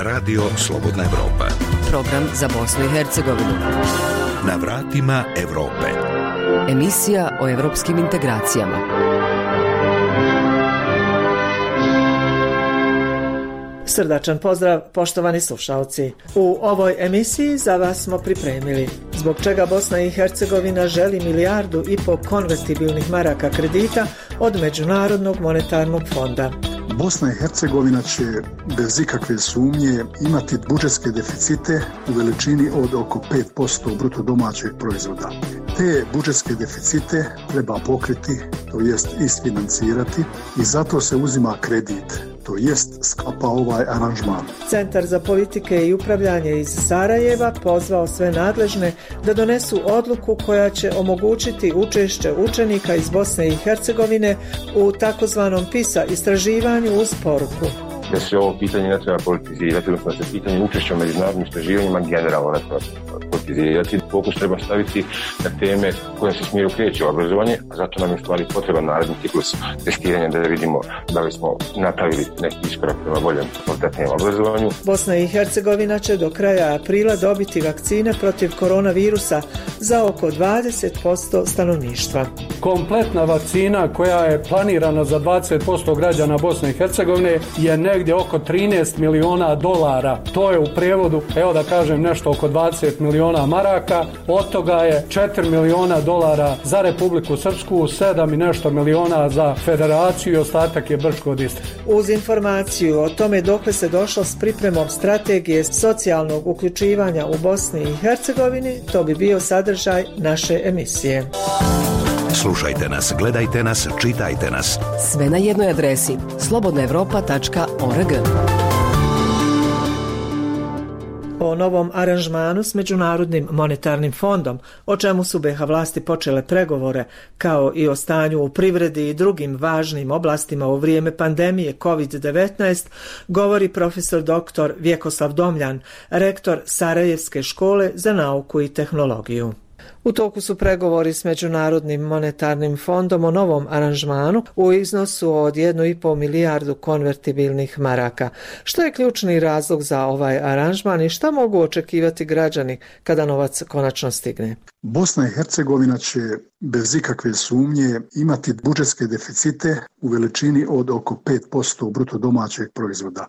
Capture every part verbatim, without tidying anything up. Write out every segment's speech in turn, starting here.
Radio Slobodna Evropa. Program za Bosnu i Hercegovinu. Na vratima Evrope. Emisija o evropskim integracijama. Srdačan pozdrav, poštovani slušalci. U ovoj emisiji za vas smo pripremili zbog čega Bosna i Hercegovina želi milijardu i po konvertibilnih maraka kredita od Međunarodnog monetarnog fonda. Bosna i Hercegovina će bez ikakve sumnje imati budžetske deficite u veličini od oko pet posto bruto domaćeg proizvoda. Te budžetske deficite treba pokriti, to jest isfinancirati, i zato se uzima kredit, to jest sklapa ovaj aranžman. Centar za politike i upravljanje iz Sarajeva pozvao sve nadležne da donesu odluku koja će omogućiti učešće učenika iz Bosne i Hercegovine u takozvanom PISA istraživanju uz poruku da se ovo pitanje ne treba politizirati, odnosno da se pitanje učešća u međunarodnim istraživanjima generalno ne treba politizirati. Fokus treba staviti na teme koje se smjeru kreće u obrazovanje, a zato nam je u stvari potreban naredni ciklus testiranja da vidimo da li smo napravili neki iskorak prema boljem kvalitetnijem obrazovanju. Bosna i Hercegovina će do kraja aprila dobiti vakcine protiv koronavirusa za oko dvadeset posto stanovništva. Kompletna vakcina koja je planirana za dvadeset posto građana Bosne i Hercegovine je negdje oko trinaest miliona dolara. To je u prijevodu, evo da kažem, nešto oko dvadeset miliona maraka. Od toga je četiri miliona dolara za Republiku Srpsku, sedam i nešto miliona za Federaciju i ostatak je Brčko distrikt. Uz informaciju o tome dokle se došlo s pripremom strategije socijalnog uključivanja u Bosni i Hercegovini, to bi bio sadržaj naše emisije. Slušajte nas, gledajte nas, čitajte nas. Sve na jednoj adresi slobodna evropa tačka org. O novom aranžmanu s Međunarodnim monetarnim fondom, o čemu su be ha vlasti počele pregovore, kao i o stanju u privredi i drugim važnim oblastima u vrijeme pandemije kovid devetnaest, govori profesor doktor Vjekoslav Domljan, rektor Sarajevske škole za nauku i tehnologiju. U toku su pregovori s Međunarodnim monetarnim fondom o novom aranžmanu u iznosu od jednu i pol milijardu konvertibilnih maraka. Što je ključni razlog za ovaj aranžman i šta mogu očekivati građani kada novac konačno stigne? Bosna i Hercegovina će bez ikakve sumnje imati budžetske deficite u veličini od oko pet posto bruto domaćeg proizvoda.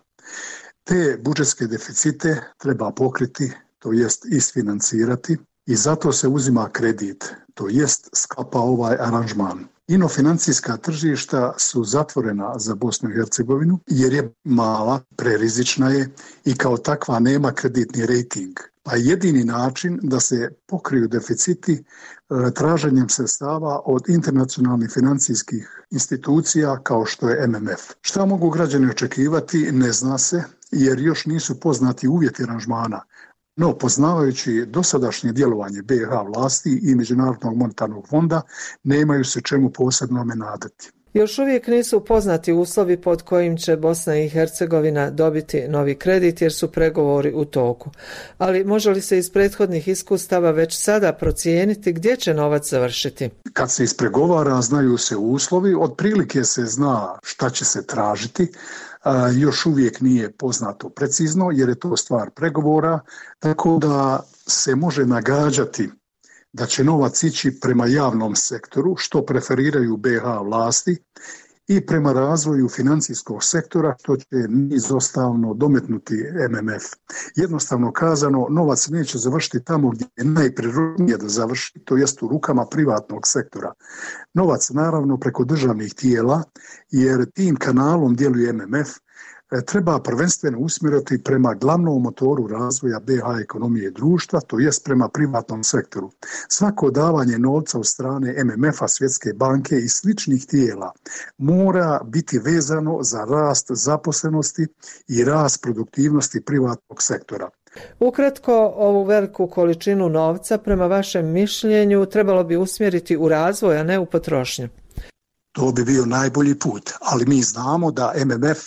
Te budžetske deficite treba pokriti, to jest isfinancirati, i zato se uzima kredit, to jest sklapa ovaj aranžman. Inofinancijska tržišta su zatvorena za Bosnu i Hercegovinu jer je mala, prerizična je i kao takva nema kreditni rejting. Pa jedini način da se pokriju deficiti traženjem sredstava od internacionalnih financijskih institucija kao što je M M F. Šta mogu građani očekivati ne zna se jer još nisu poznati uvjeti aranžmana. No, poznavajući dosadašnje djelovanje be ha vlasti i Međunarodnog monetarnog fonda, nemaju se čemu posebno nadati. Još uvijek nisu poznati uslovi pod kojim će Bosna i Hercegovina dobiti novi kredit jer su pregovori u toku. Ali može li se iz prethodnih iskustava već sada procijeniti gdje će novac završiti? Kad se ispregovara, znaju se uslovi, otprilike se zna šta će se tražiti. A, još uvijek nije poznato precizno jer je to stvar pregovora, tako da se može nagađati da će novac ići prema javnom sektoru, što preferiraju be ha vlasti, i prema razvoju financijskog sektora, što će izostavno dometnuti M M F. Jednostavno kazano, novac neće završiti tamo gdje je najprirodnije da završi, to jest u rukama privatnog sektora. Novac naravno preko državnih tijela, jer tim kanalom djeluje M M F, treba prvenstveno usmjeriti prema glavnom motoru razvoja be ha ekonomije i društva, to jest prema privatnom sektoru. Svako davanje novca od strane M M F-a, Svjetske banke i sličnih tijela mora biti vezano za rast zaposlenosti i rast produktivnosti privatnog sektora. Ukratko, ovu veliku količinu novca prema vašem mišljenju trebalo bi usmjeriti u razvoj, a ne u potrošnju. To bi bio najbolji put, ali mi znamo da M M F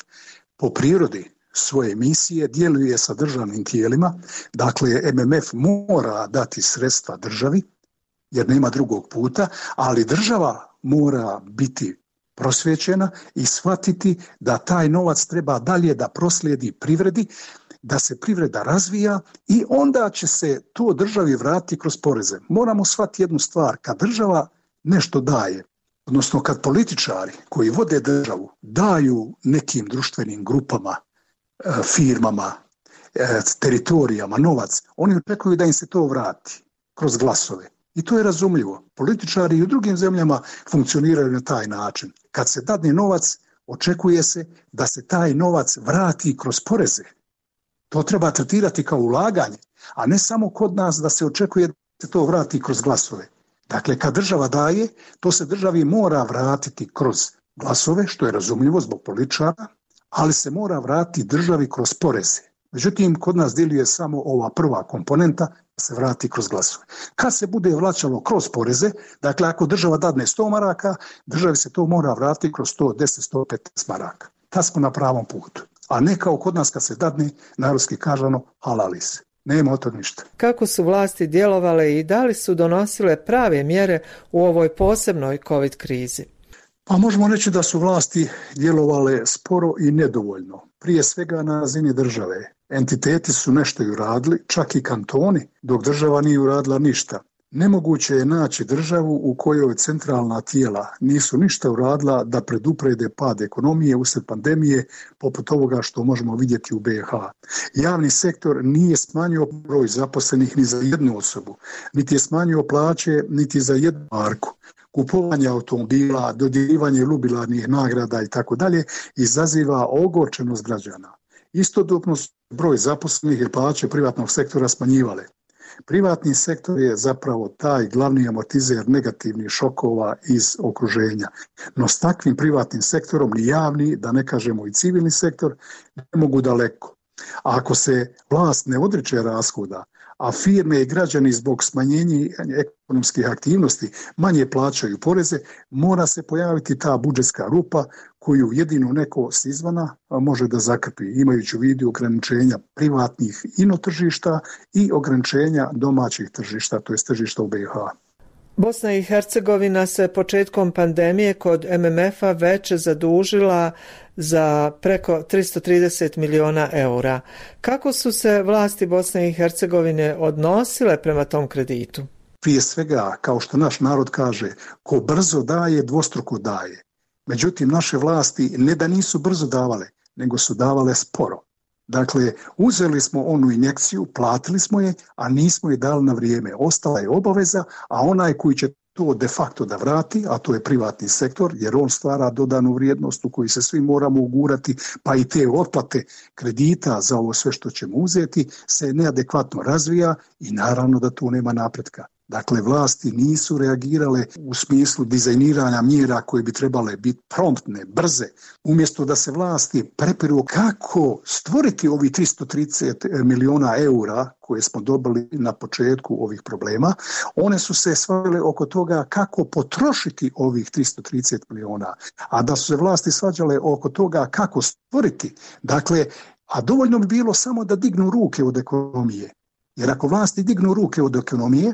po prirodi svoje misije djeluje sa državnim tijelima, dakle M M F mora dati sredstva državi jer nema drugog puta, ali država mora biti prosvjećena i shvatiti da taj novac treba dalje da proslijedi privredi da se privreda razvija i onda će se to državi vratiti kroz poreze. Moramo shvatiti jednu stvar, kad država nešto daje, odnosno kad političari koji vode državu daju nekim društvenim grupama, firmama, teritorijama, novac, oni očekuju da im se to vrati kroz glasove. I to je razumljivo. Političari i u drugim zemljama funkcioniraju na taj način. Kad se dadne novac, očekuje se da se taj novac vrati kroz poreze. To treba tretirati kao ulaganje, a ne samo kod nas da se očekuje da se to vrati kroz glasove. Dakle, kad država daje, to se državi mora vratiti kroz glasove, što je razumljivo zbog političara, ali se mora vratiti državi kroz poreze. Međutim, kod nas djeluje samo ova prva komponenta, da se vrati kroz glasove. Kad se bude vraćalo kroz poreze, dakle ako država dadne sto maraka, državi se to mora vratiti kroz sto deset do sto petnaest maraka. Tad smo na pravom putu. A ne kao kod nas kad se dadne, narodski kažano, halali se. Nema od toga ništa. Kako su vlasti djelovale i da li su donosile prave mjere u ovoj posebnoj COVID krizi? Pa možemo reći da su vlasti djelovale sporo i nedovoljno. Prije svega na razini države. Entiteti su nešto i uradili, čak i kantoni, dok država nije uradila ništa. Nemoguće je naći državu u kojoj centralna tijela nisu ništa uradila da preduprede pad ekonomije usred pandemije, poput ovoga što možemo vidjeti u B i H. Javni sektor nije smanjio broj zaposlenih ni za jednu osobu, niti je smanjio plaće, niti za jednu marku. Kupovanje automobila, dodjeljivanje jubilarnih nagrada i tako dalje izaziva ogorčenost građana. Istodobno su broj zaposlenih i plaće privatnog sektora smanjivale. Privatni sektor je zapravo taj glavni amortizer negativnih šokova iz okruženja. No s takvim privatnim sektorom ni javni, da ne kažemo i civilni sektor, ne mogu daleko. A ako se vlast ne odriče rashoda, a firme i građani zbog smanjenja ekonomskih aktivnosti manje plaćaju poreze, mora se pojaviti ta budžetska rupa koju jedino neko s izvana može da zakrpi, imajući u vidu ograničenja privatnih ino tržišta i ograničenja domaćih tržišta, to je tržišta u B i H. Bosna i Hercegovina se početkom pandemije kod M M F-a već zadužila za preko tristo trideset miliona eura. Kako su se vlasti Bosne i Hercegovine odnosile prema tom kreditu? Prije svega, kao što naš narod kaže, ko brzo daje, dvostruko daje. Međutim, naše vlasti ne da nisu brzo davale, nego su davale sporo. Dakle, uzeli smo onu injekciju, platili smo je, a nismo je dali na vrijeme. Ostala je obaveza, a onaj koji će to de facto da vrati, a to je privatni sektor, jer on stvara dodanu vrijednost u koju se svi moramo ugurati, pa i te otplate kredita za ovo sve što ćemo uzeti se neadekvatno razvija i naravno da tu nema napretka. Dakle, vlasti nisu reagirale u smislu dizajniranja mjera koje bi trebale biti promptne, brze. Umjesto da se vlasti prepiru kako stvoriti ovih tristo trideset miliona eura koje smo dobili na početku ovih problema, one su se svađale oko toga kako potrošiti ovih tristo trideset miliona, a da su se vlasti svađale oko toga kako stvoriti. Dakle, a dovoljno bi bilo samo da dignu ruke od ekonomije. Jer ako vlasti dignu ruke od ekonomije,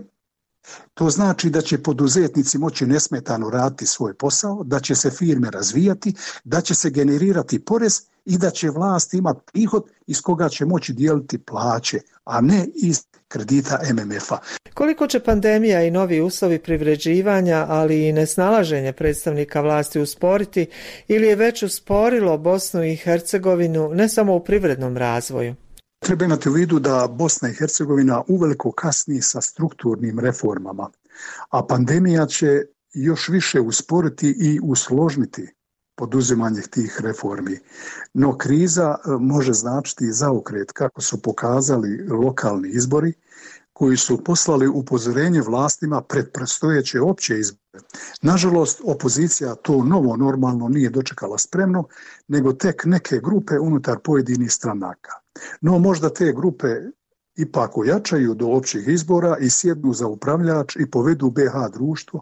to znači da će poduzetnici moći nesmetano raditi svoj posao, da će se firme razvijati, da će se generirati porez i da će vlast imati prihod iz koga će moći dijeliti plaće, a ne iz kredita M M F-a. Koliko će pandemija i novi uslovi privređivanja, ali i nesnalaženje predstavnika vlasti usporiti ili je već usporilo Bosnu i Hercegovinu ne samo u privrednom razvoju? Treba imati u vidu da Bosna i Hercegovina uveliko kasni sa strukturnim reformama, a pandemija će još više usporiti i usložniti poduzimanje tih reformi. No kriza može značiti zaokret, kako su pokazali lokalni izbori, koji su poslali upozorenje vlastima pred predstojeće opće izbore. Nažalost, opozicija to novo normalno nije dočekala spremno, nego tek neke grupe unutar pojedinih stranaka. No možda te grupe ipak ojačaju do općih izbora i sjednu za upravljač i povedu B i H društvo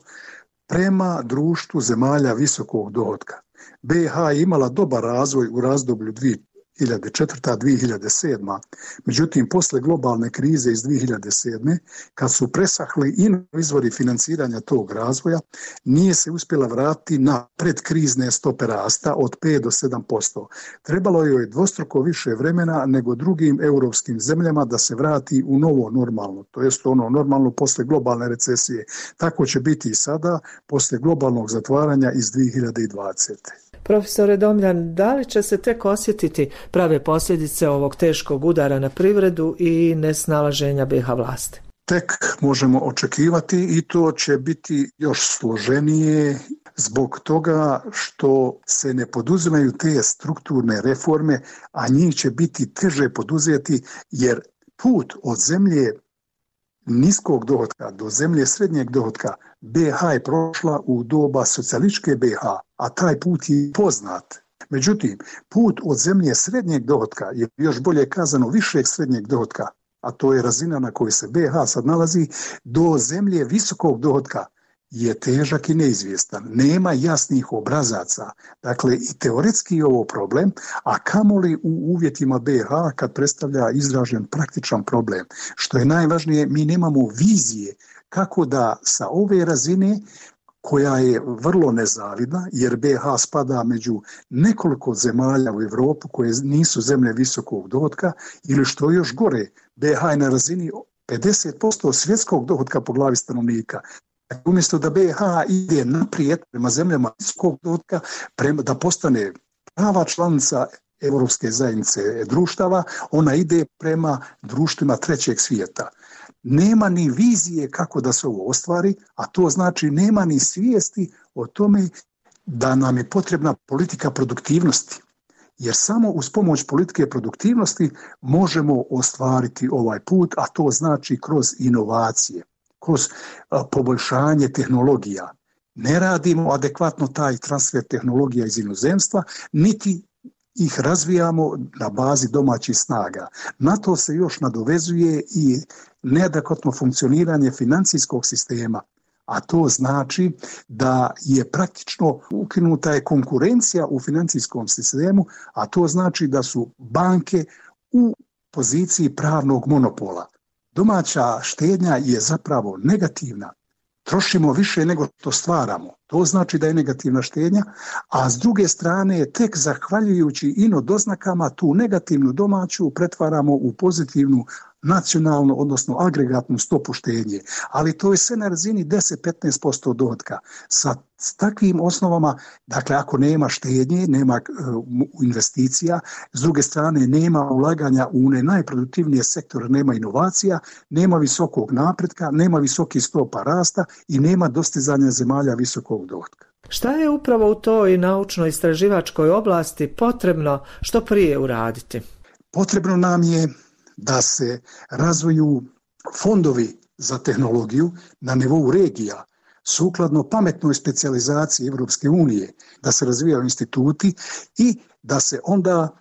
prema društvu zemalja visokog dohotka. B i H je imala dobar razvoj u razdoblju dvije hiljade četvrta do dvije hiljade sedma. Međutim, posle globalne krize iz dvije hiljade sedme, kad su presahli i izvori financiranja tog razvoja, nije se uspjela vratiti na predkrizne stope rasta od pet do sedam posto. Trebalo joj je dvostruko više vremena nego drugim europskim zemljama da se vrati u novo normalno, to jest ono normalno posle globalne recesije. Tako će biti i sada, posle globalnog zatvaranja iz dvije hiljade dvadesete. Profesore Domljan, da li će se tek osjetiti prave posljedice ovog teškog udara na privredu i nesnalaženja B iha vlasti? Tek možemo očekivati i to će biti još složenije zbog toga što se ne poduzimaju te strukturne reforme, a njih će biti teže poduzeti jer put od zemlje niskog dohotka do zemlje srednjeg dohotka B iha je prošla u doba socijalističke B iha, a taj put je poznat. Međutim, put od zemlje srednjeg dohotka, je još bolje kazano višeg srednjeg dohotka, a to je razina na kojoj se B iha sad nalazi, do zemlje visokog dohotka je težak i neizvjestan. Nema jasnih obrazaca. Dakle, i teoretski je ovo problem, a kamoli u uvjetima B iha kad predstavlja izražen praktičan problem. Što je najvažnije, mi nemamo vizije kako da sa ove razine, koja je vrlo nezavidna, jer B iha spada među nekoliko zemalja u Europu koje nisu zemlje visokog dohotka, ili što je još gore, B iha je na razini pedeset posto svjetskog dohotka po glavi stanovnika. Umjesto da B iha ide naprijed prema zemljama visokog dohotka, prema da postane prava članica Europske zajednice društava, ona ide prema društvima trećeg svijeta. Nema ni vizije kako da se ovo ostvari, a to znači nema ni svijesti o tome da nam je potrebna politika produktivnosti. Jer samo uz pomoć politike produktivnosti možemo ostvariti ovaj put, a to znači kroz inovacije, kroz poboljšanje tehnologija. Ne radimo adekvatno taj transfer tehnologija iz inozemstva, niti ih razvijamo na bazi domaćih snaga. Na to se još nadovezuje i neadekvatno funkcioniranje financijskog sistema, a to znači da je praktično ukinuta je konkurencija u financijskom sistemu, a to znači da su banke u poziciji pravnog monopola. Domaća štednja je zapravo negativna. Trošimo više nego što stvaramo. To znači da je negativna štednja, a s druge strane tek zahvaljujući ino doznakama tu negativnu domaću pretvaramo u pozitivnu nacionalnu, odnosno agregatnu stopu štednje. Ali to je sve na razini deset do petnaest posto dohotka. Sa takvim osnovama, dakle ako nema štednje, nema uh, investicija, s druge strane nema ulaganja u one najproduktivnije sektore, nema inovacija, nema visokog napretka, nema visokih stopa rasta i nema dostizanja zemalja visokog dohotka. Šta je upravo u toj naučno-istraživačkoj oblasti potrebno što prije uraditi? Potrebno nam je da se razvoju fondovi za tehnologiju na nivou regija, sukladno pametnoj specijalizaciji Europske unije, da se razvijaju instituti i da se onda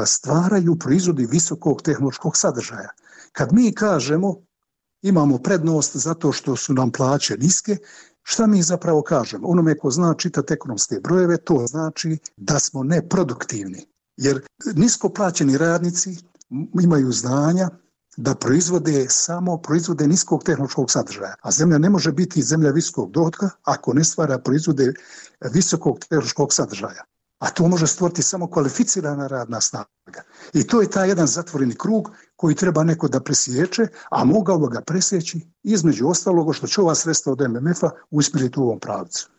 stvaraju proizvodi visokog tehnološkog sadržaja. Kad mi kažemo imamo prednost zato što su nam plaće niske, šta mi zapravo kažemo? Onome ko zna čitati ekonomske brojeve, to znači da smo neproduktivni. Jer nisko plaćeni radnici imaju znanja da proizvode samo proizvode niskog tehnološkog sadržaja. A zemlja ne može biti zemlja visokog dohotka ako ne stvara proizvode visokog tehnološkog sadržaja. A to može stvoriti samo kvalificirana radna snaga. I to je taj jedan zatvoreni krug koji treba neko da presječe, a mogao ga presjeći između ostaloga što će ova sredstva od M M F-a usmjeriti u ovom pravcu.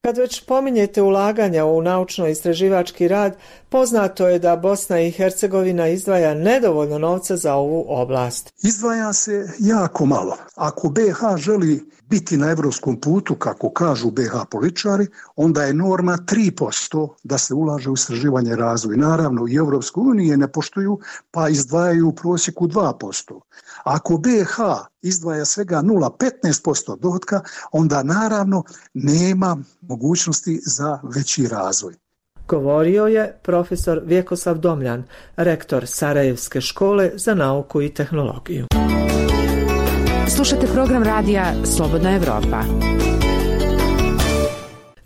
Kad već pominjete ulaganja u naučno-istraživački rad, poznato je da Bosna i Hercegovina izdvaja nedovoljno novca za ovu oblast. Izdvaja se jako malo. Ako B iha želi biti na evropskom putu, kako kažu B iha političari, onda je norma tri posto da se ulaže u istraživanje i razvoj. Naravno, i Evropske unije ne poštuju, pa izdvajaju u prosjeku dva posto. Ako B iha izdvaja svega nula zarez petnaest posto dohotka, onda naravno nema mogućnosti za veći razvoj. Govorio je profesor Vjekoslav Domljan, rektor Sarajevske škole za nauku i tehnologiju. Slušate program radija Slobodna Evropa.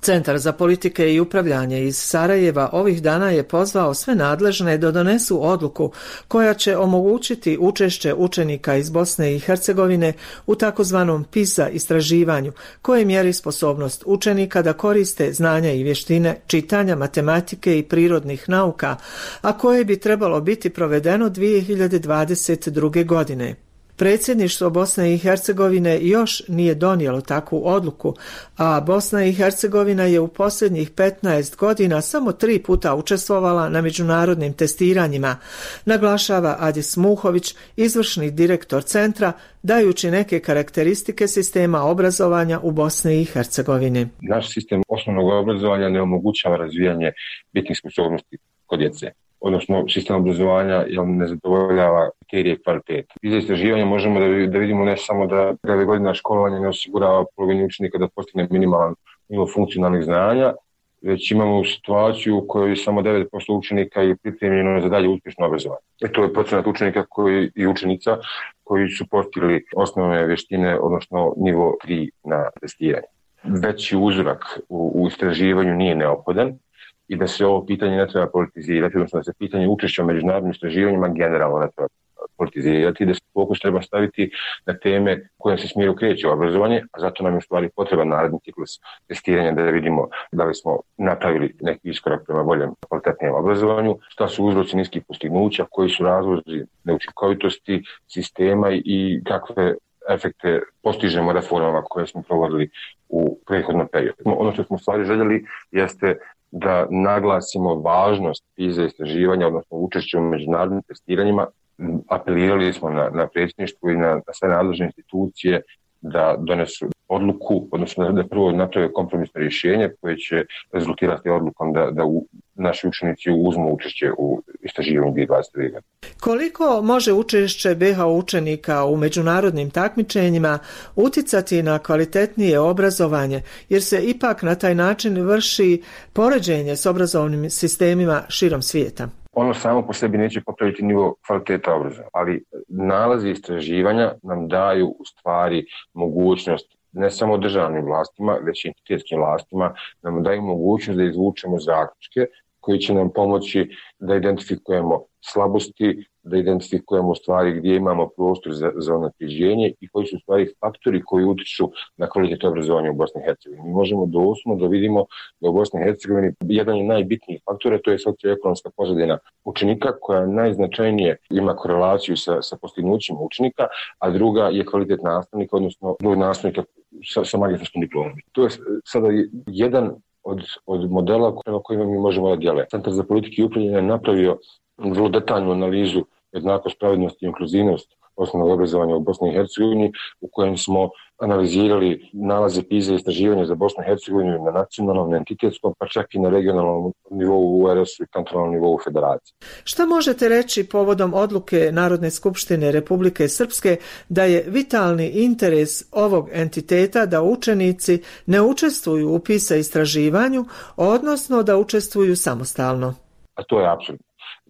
Centar za politike i upravljanje iz Sarajeva ovih dana je pozvao sve nadležne da donesu odluku koja će omogućiti učešće učenika iz Bosne i Hercegovine u takozvanom PISA istraživanju, koje mjeri sposobnost učenika da koriste znanja i vještine čitanja, matematike i prirodnih nauka, a koje bi trebalo biti provedeno dvije hiljade dvadeset druge. godine. Predsjedništvo Bosne i Hercegovine još nije donijelo takvu odluku, a Bosna i Hercegovina je u posljednjih petnaest godina samo tri puta učestvovala na međunarodnim testiranjima, naglašava Adis Muhović, izvršni direktor centra, dajući neke karakteristike sistema obrazovanja u Bosni i Hercegovini. Naš sistem osnovnog obrazovanja ne omogućava razvijanje bitnih sposobnosti kod djece. Odnosno, sistem obrazovanja ne zadovoljava kriterije kvalitete. Iz istraživanja možemo da, da vidimo ne samo da devet godina školovanja ne osigurava polovini učenika da postigne minimalan nivo funkcionalnih znanja, već imamo situaciju u kojoj samo devet posto učenika je pripremljeno za dalje uspješno obrazovanje. E to je procenat učenika koji, i učenica koji su postigli osnovne vještine, odnosno nivo tri na testiranje. Veći uzorak u, u istraživanju nije neophodan i da se ovo pitanje ne treba politizirati, odnosno da se pitanje učešća u međunarodnim istraživanjima generalno ne treba politizirati, da se fokus treba staviti na teme kojim se smjeru kreće obrazovanje, a zato nam je u stvari potreban naredni ciklus testiranja da vidimo da li smo napravili neki iskorak prema boljem kvalitetnijem obrazovanju, šta su uzroci niskih postignuća, koji su razlozi neučinkovitosti sistema i kakve efekte postižemo reformama koje smo provodili u prethodnom periodu. Ono što smo u stvari željeli jeste da naglasimo važnost PISA istraživanja, odnosno učešće u međunarodnim testiranjima. Apelirali smo na, na predsjedništvo i na, na sve nadležne institucije da donesu odluku, odnosno da prvo naprave kompromisno rješenje koje će rezultirati odlukom da, da u, naši učenici uzmu učešće u istraživanju dvije hiljade dvadeset druge. godine. Koliko može učešće be ha učenika u međunarodnim takmičenjima uticati na kvalitetnije obrazovanje, jer se ipak na taj način vrši poređenje s obrazovnim sistemima širom svijeta? Ono samo po sebi neće popraviti nivo kvaliteta obrazovanja, ali nalazi istraživanja nam daju u stvari mogućnost ne samo državnim vlastima, već i entitetskim vlastima, nam daju mogućnost da izvučemo zaključke koji će nam pomoći da identifikujemo slabosti, da identifikujemo stvari gdje imamo prostor za, za unapređenje i koji su stvari faktori koji utiču na kvalitet obrazovanja u Bosni i Hercegovini. Mi možemo doslovno da vidimo da u Bosni i Hercegovini jedan je najbitnijih faktora, to je socioekonomska pozadina učenika koja najznačajnije ima korelaciju sa, sa postignućima učenika, a druga je kvalitet nastavnika, odnosno drugog nastavnika sa, sa magistarskom diplomom. To je sada jedan od, od modela prema kojima mi možemo da djelujemo. Centar za politike i upravljanje je napravio vrlo detaljnu analizu jednakost, pravednost i inkluzivnost osnovnog obrazovanja u Bosni i Hercegovini, u kojem smo analizirali nalaze PISA istraživanja za Bosnu i Hercegovinu na nacionalnom, na entitetskom, pa čak i na regionalnom nivou u er es u i kantonalnom nivou u federaciji. Šta možete reći povodom odluke Narodne skupštine Republike Srpske da je vitalni interes ovog entiteta da učenici ne učestvuju u PISA istraživanju, odnosno da učestvuju samostalno? A to je apsolutno.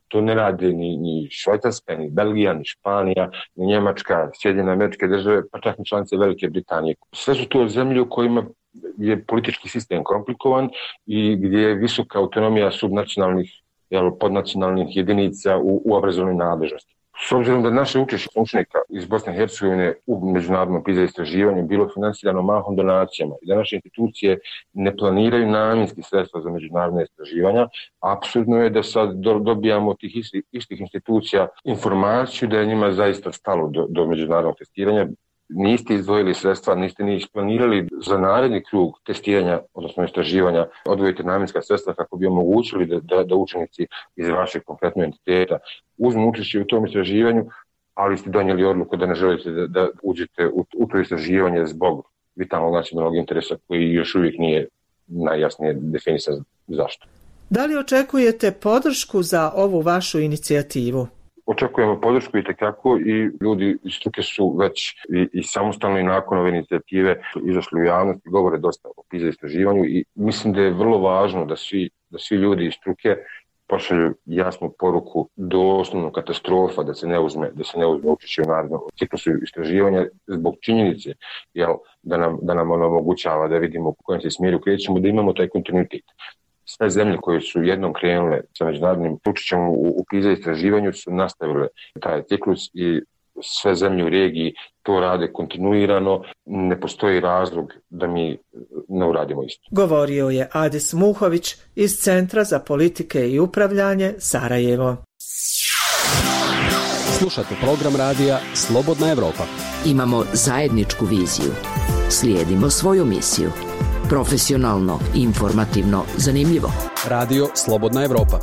To ne radi ni, ni Švajcarska, ni Belgija, ni Španija, ni Njemačka, Sjedinjene Američke Države, pa čak ni članice Velike Britanije. Sve su to zemlje u kojima je politički sistem komplikovan i gdje je visoka autonomija subnacionalnih, jel, podnacionalnih jedinica u, u obrazovnoj nadležnosti. S obzirom da naše učešće učenika iz Bosne i Hercegovine u međunarodnom PISA istraživanju bilo financirano mahom donacijama i da naše institucije ne planiraju namjenski sredstva za međunarodne istraživanja, apsurdno je da sad dobijamo od tih istih, istih institucija informaciju da je njima zaista stalo do, do međunarodnog testiranja. Niste izdvojili sredstva, niste ni isplanirali za naredni krug testiranja, odnosno istraživanja, odvojite namjenska sredstva kako bi omogućili da, da, da učenici iz vašeg konkretnog entiteta uzmu učešće u tom istraživanju, ali ste donijeli odluku da ne želite da, da uđete u, u to istraživanje zbog vitalnog nacionalnog interesa koji još uvijek nije najjasnije definisan zašto. Da li očekujete podršku za ovu vašu inicijativu? Očekujemo podršku i tekako i ljudi iz struke su već i, i samostalno i nakon ove inicijative izašli u javnost i govore dosta o PISA istraživanju i mislim da je vrlo važno da svi, da svi ljudi iz struke pošalju jasnu poruku doslovno katastrofa da se ne uzme, da se ne uzme učešće u narednom ciklusu istraživanja zbog činjenice jel, da nam, da nam ono omogućava da vidimo u kojem se smjeru krećemo, da imamo taj kontinuitet. Sve zemlje koje su jednom krenule sa međunarodnim učešćem u, u PISA istraživanju su nastavile taj ciklus i sve zemlje u regiji to rade kontinuirano, ne postoji razlog da mi ne uradimo isto. Govorio je Adis Muhović iz Centra za politike i upravljanje Sarajevo. Slušate program radija Slobodna Evropa. Imamo zajedničku viziju. Slijedimo svoju misiju. Profesionalno, informativno, zanimljivo. Radio Slobodna Evropa.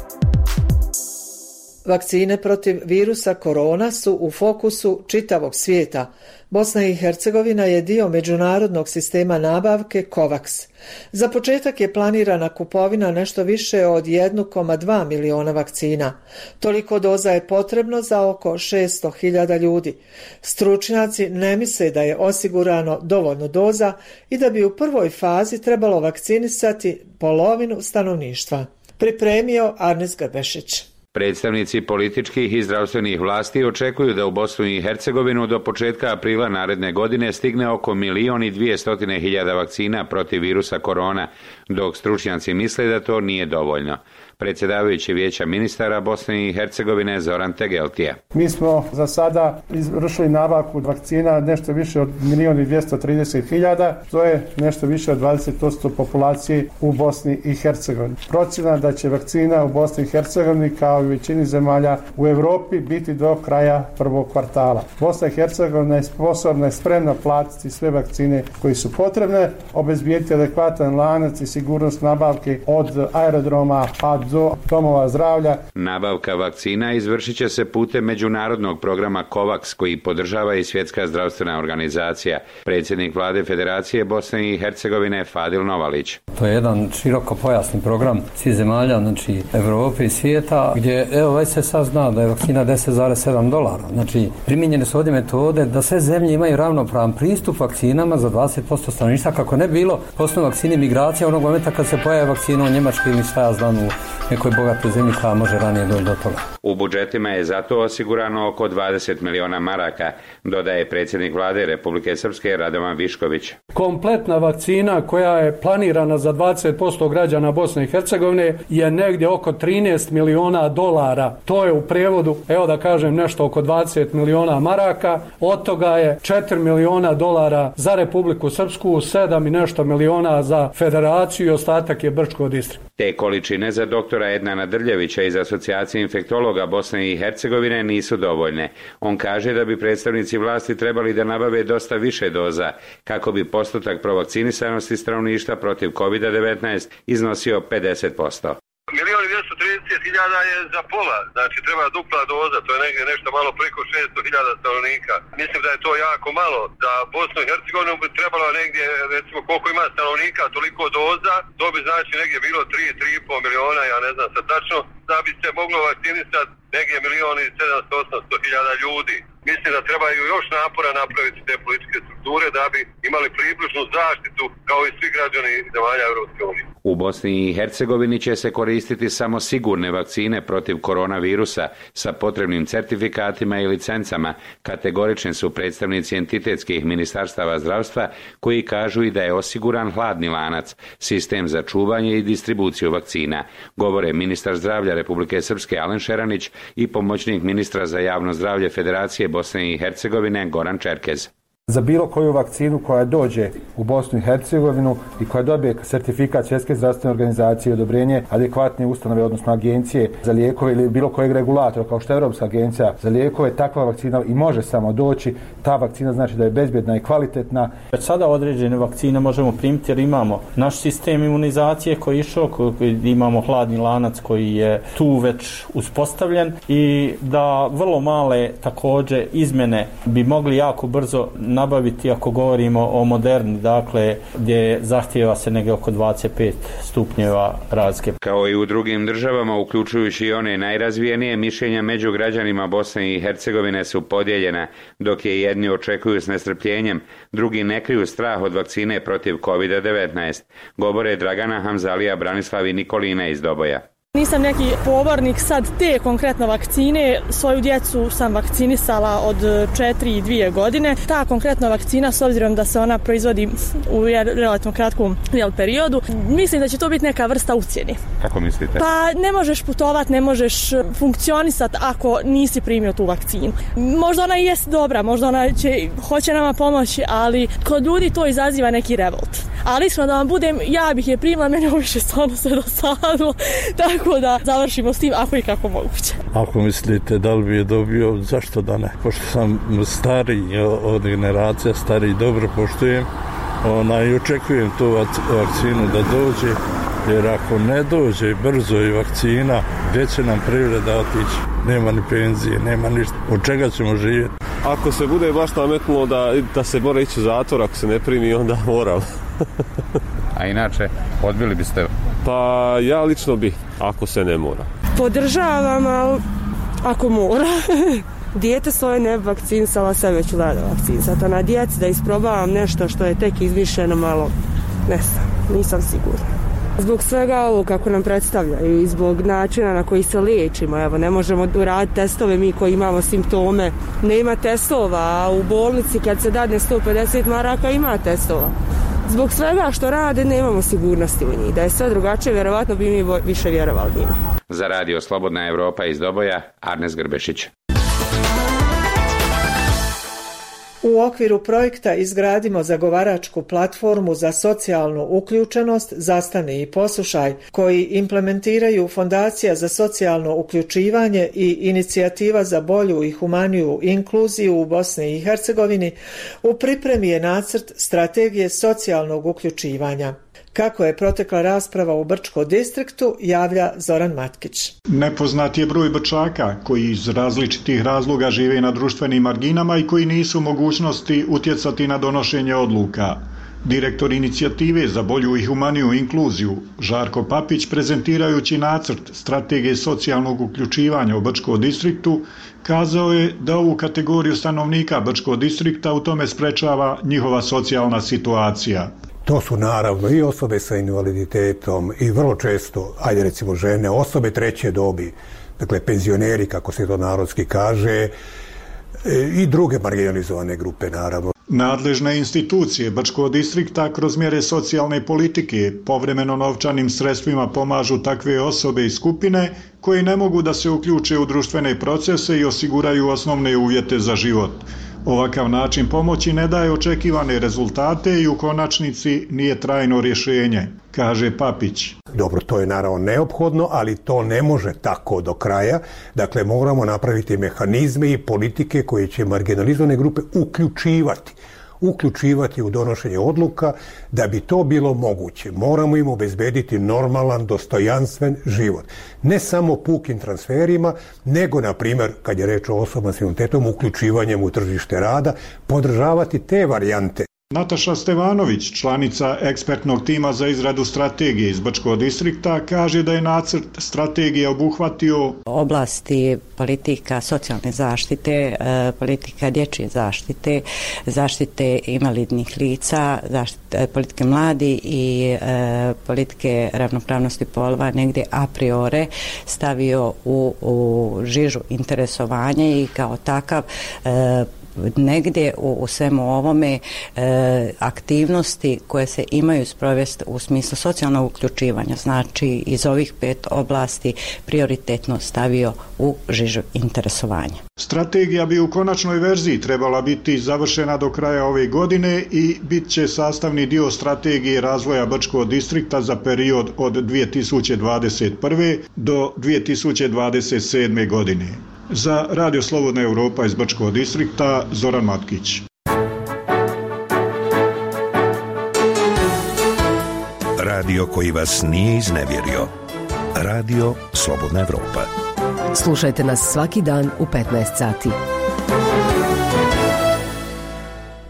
Vakcine protiv virusa korona su u fokusu čitavog svijeta. Bosna i Hercegovina je dio međunarodnog sistema nabavke COVAX. Za početak je planirana kupovina nešto više od jedan zarez dva miliona vakcina. Toliko doza je potrebno za oko šesto hiljada ljudi. Stručnjaci ne misle da je osigurano dovoljno doza i da bi u prvoj fazi trebalo vakcinisati polovinu stanovništva. Pripremio Arnis Grbešić. Predstavnici političkih i zdravstvenih vlasti očekuju da u Bosnu i Hercegovinu do početka aprila naredne godine stigne oko milion i dvije hiljade vakcina protiv virusa korona, dok stručnjaci misle da to nije dovoljno. Predsjedavajući Vijeća ministara Bosne i Hercegovine Zoran Tegeltija. Mi smo za sada izvršili nabavku vakcina nešto više od milion i dvjesto trideset hiljada, to je nešto više od dvadeset posto populacije u Bosni i Hercegovini. Procjena da će vakcina u Bosni i Hercegovini kao i u većini zemalja u Europi biti do kraja prvog kvartala. Bosna i Hercegovina je sposobna i spremna platiti sve vakcine koje su potrebne, obezbijediti adekvatan lanac i sigurnost nabavke od aerodroma pa do domova zdravlja. Nabavka vakcina izvršit će se putem međunarodnog programa COVAX koji podržava i Svjetska zdravstvena organizacija. Predsjednik vlade Federacije Bosne i Hercegovine Fadil Novalić. To je jedan široko pojasni program svih zemalja, znači Evrope i svijeta, gdje evo već se sad zna da je vakcina deset zarez sedam dolara. Znači primijenjene su ovdje metode da sve zemlje imaju ravnopravan pristup vakcinama za dvadeset posto stanovništva, kako ne bilo posebno vakcine migracija onog momenta kad se pojavi vakcina u Njemačkoj ili šta ja znam u nekoj bogatoj zemlji koja može ranije doći do toga. U budžetima je zato osigurano oko dvadeset miliona maraka, dodaje predsjednik vlade Republike Srpske Radovan Višković. Kompletna vakcina koja je planirana za dvadeset posto građana Bosne i Hercegovine je negdje oko trinaest miliona dolara. To je u prijevodu, evo da kažem, nešto oko dvadeset miliona maraka. Od toga je četiri miliona dolara za Republiku Srpsku, sedam i nešto miliona za Federaciju i ostatak je Brčko distrikt. Te količine za doktora Ednana Drljevića iz Asocijacije infektologa Bosne i Hercegovine nisu dovoljne. On kaže da bi predstavnici vlasti trebali da nabave dosta više doza kako bi postotak provakcinisanosti stanovništva protiv kovid devetnaest iznosio pedeset posto. Milion i dvjesto trideset hiljada je za pola, znači treba dupla doza, to je negdje nešto malo preko šesto hiljada stanovnika. Mislim da je to jako malo, za Bosnu i Hercegovinu bi trebalo negdje, recimo koliko ima stanovnika, toliko doza, to bi znači negdje bilo tri, tri i pol miliona, ja ne znam sad tačno, da bi se moglo vakcinisati negdje milion i sedamsto, osamsto hiljada ljudi. Mislim da trebaju još napora napraviti te političke strukture da bi imali približnu zaštitu kao i svi građani zemalja Europske unije. U Bosni i Hercegovini će se koristiti samo sigurne vakcine protiv koronavirusa sa potrebnim certifikatima i licencama, kategorični su predstavnici entitetskih ministarstava zdravstva koji kažu i da je osiguran hladni lanac, sistem za čuvanje i distribuciju vakcina. Govore ministar zdravlja Republike Srpske Alen Šeranić i pomoćnik ministra za javno zdravlje Federacije Bosne i Hercegovine Goran Čerkez. Za bilo koju vakcinu koja dođe u Bosnu i Hercegovinu i koja dobije sertifikat Svjetske zdravstvene organizacije i odobrenje adekvatne ustanove, odnosno agencije za lijekove ili bilo kojeg regulatora kao što je Europska agencija za lijekove, takva vakcina i može samo doći. Ta vakcina znači da je bezbjedna i kvalitetna. Već sada određene vakcine možemo primiti jer imamo naš sistem imunizacije koji je išao, koji imamo hladni lanac koji je tu već uspostavljen i da vrlo male također izmjene bi mogli jako brzo nabaviti ako govorimo o Moderni, dakle gdje zahtijeva se negdje oko dvadeset pet stupnjeva razlike. Kao i u drugim državama, uključujući i one najrazvijenije, mišljenja među građanima Bosne i Hercegovine su podijeljena, dok je jedni očekuju s nestrpljenjem, drugi ne kriju strah od vakcine protiv kovid devetnaest. Govore Dragana Hamzalija, Branislav i Nikolina iz Doboja. Nisam neki pobornik sad te konkretno vakcine, svoju djecu sam vakcinisala od četiri i dvije godine. Ta konkretna vakcina, s obzirom da se ona proizvodi u relativno kratkom periodu, mislim da će to biti neka vrsta ucjene. Kako mislite? Pa ne možeš putovati, ne možeš funkcionisati ako nisi primio tu vakcinu. Možda ona i jest dobra, možda ona će, hoće nama pomoći, ali kod ljudi to izaziva neki revolt. Ali iskreno da vam budem, ja bih je primila, meni ovo više stvarno sve dosadilo, tako da završimo s tim ako i kako moguće. Ako mislite da li bi je dobio, zašto da ne? Pošto sam stariji od generacija, stariji dobro poštujem, ona i očekujem tu vakcinu da dođe, jer ako ne dođe brzo i vakcina, gdje će nam privreda otići? Nema ni penzije, nema ništa. Od čega ćemo živjeti? Ako se bude baš nametnulo da, da se mora ići u zatvor, ako se ne primi, onda moram. A inače, odbili biste? Pa ja lično bi, ako se ne mora. Podržavam, ali ako mora. Dijete svoje ne bi vakcinisala, sve već vlada vakcinisati. A na djeci da isprobavam nešto što je tek izmišljeno malo, ne znam, nisam sigurna. Zbog svega ovo kako nam predstavljaju i zbog načina na koji se liječimo, evo ne možemo uraditi testove mi koji imamo simptome, nema testova, a u bolnici kad se dadne sto pedeset maraka ima testova. Zbog svega što rade nemamo sigurnosti u njih, da je sve drugačije, vjerovatno bi mi više vjerovali njima. Za radio Slobodna Evropa iz Doboja, Arnes Grbešić. U okviru projekta Izgradimo zagovaračku platformu za socijalnu uključenost Zastani i poslušaj, koji implementiraju Fondacija za socijalno uključivanje i Inicijativa za bolju i humaniju inkluziju u Bosni i Hercegovini, u pripremi je nacrt strategije socijalnog uključivanja. Kako je protekla rasprava u Brčko distriktu, javlja Zoran Matkić. Nepoznat je broj Brčaka koji iz različitih razloga žive na društvenim marginama i koji nisu u mogućnosti utjecati na donošenje odluka. Direktor Inicijative za bolju i humaniju inkluziju, Žarko Papić, prezentirajući nacrt strategije socijalnog uključivanja u Brčko distriktu, kazao je da ovu kategoriju stanovnika Brčko distrikta u tome sprečava njihova socijalna situacija. To su naravno i osobe sa invaliditetom i vrlo često, ajde recimo žene, osobe treće dobi, dakle penzioneri kako se to narodski kaže, i druge marginalizovane grupe naravno. Nadležne institucije Brčkog distrikta kroz mjere socijalne politike povremeno novčanim sredstvima pomažu takve osobe i skupine koje ne mogu da se uključe u društvene procese i osiguraju osnovne uvjete za život. Ovakav način pomoći ne daje očekivane rezultate i u konačnici nije trajno rješenje, kaže Papić. Dobro, to je naravno neophodno, ali to ne može tako do kraja. Dakle, moramo napraviti mehanizme i politike koje će marginalizovane grupe uključivati. uključivati u donošenje odluka. Da bi to bilo moguće, moramo im obezbediti normalan, dostojanstven život. Ne samo pukim transferima, nego, na primjer, kad je reč o osobama s invaliditetom, uključivanjem u tržište rada, podržavati te varijante. Nataša Stevanović, članica ekspertnog tima za izradu strategije iz Brčkog distrikta, kaže da je nacrt strategije obuhvatio oblasti politika socijalne zaštite, politika dječje zaštite, zaštite invalidnih lica, zaštite, politike mladi i politike ravnopravnosti polova negdje a priori stavio u, u žižu interesovanja i kao takav negdje u, u svemu ovome e, aktivnosti koje se imaju sprovesti u smislu socijalnog uključivanja, znači iz ovih pet oblasti prioritetno stavio u žižu interesovanja. Strategija bi u konačnoj verziji trebala biti završena do kraja ove godine i bit će sastavni dio strategije razvoja Brčkog distrikta za period od dvije tisuće dvadeset prve do dvije tisuće dvadeset sedme godine. Za Radio Slobodna Evropa iz Brčkog distrikta, Zoran Matkić. Radio koji vas nije iznevjerio. Radio Slobodna Evropa. Slušajte nas svaki dan u petnaest sati.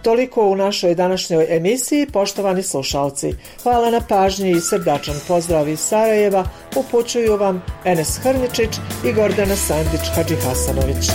Toliko u našoj današnjoj emisiji, poštovani slušalci. Hvala na pažnji i srdačan pozdrav iz Sarajeva upućuju vam Enes Hrničić i Gordana Sandić Hadžihasanović.